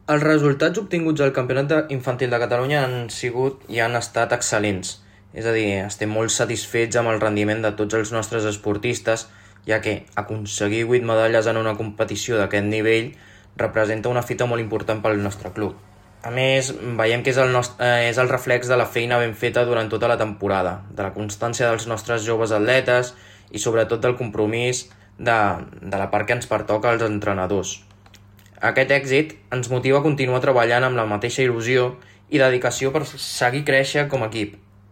Els resultats obtinguts al Infantil de Catalunya han sigut i han estat excel·lents. És a dir, estem molt satisfets amb el rendiment de tots els nostres esportistes, ja que aconseguir 8 medalles en una competició d'aquest nivell representa una fita molt important pel nostre club. A més, veiem que és el reflex de la feina ben feta durant tota la temporada, de la constància dels nostres joves atletes i sobretot del compromís de la part que ens pertoca als entrenadors. Aquest èxit ens motiva a continuar treballant amb la mateixa il·lusió i dedicació per seguir créixer com a equip.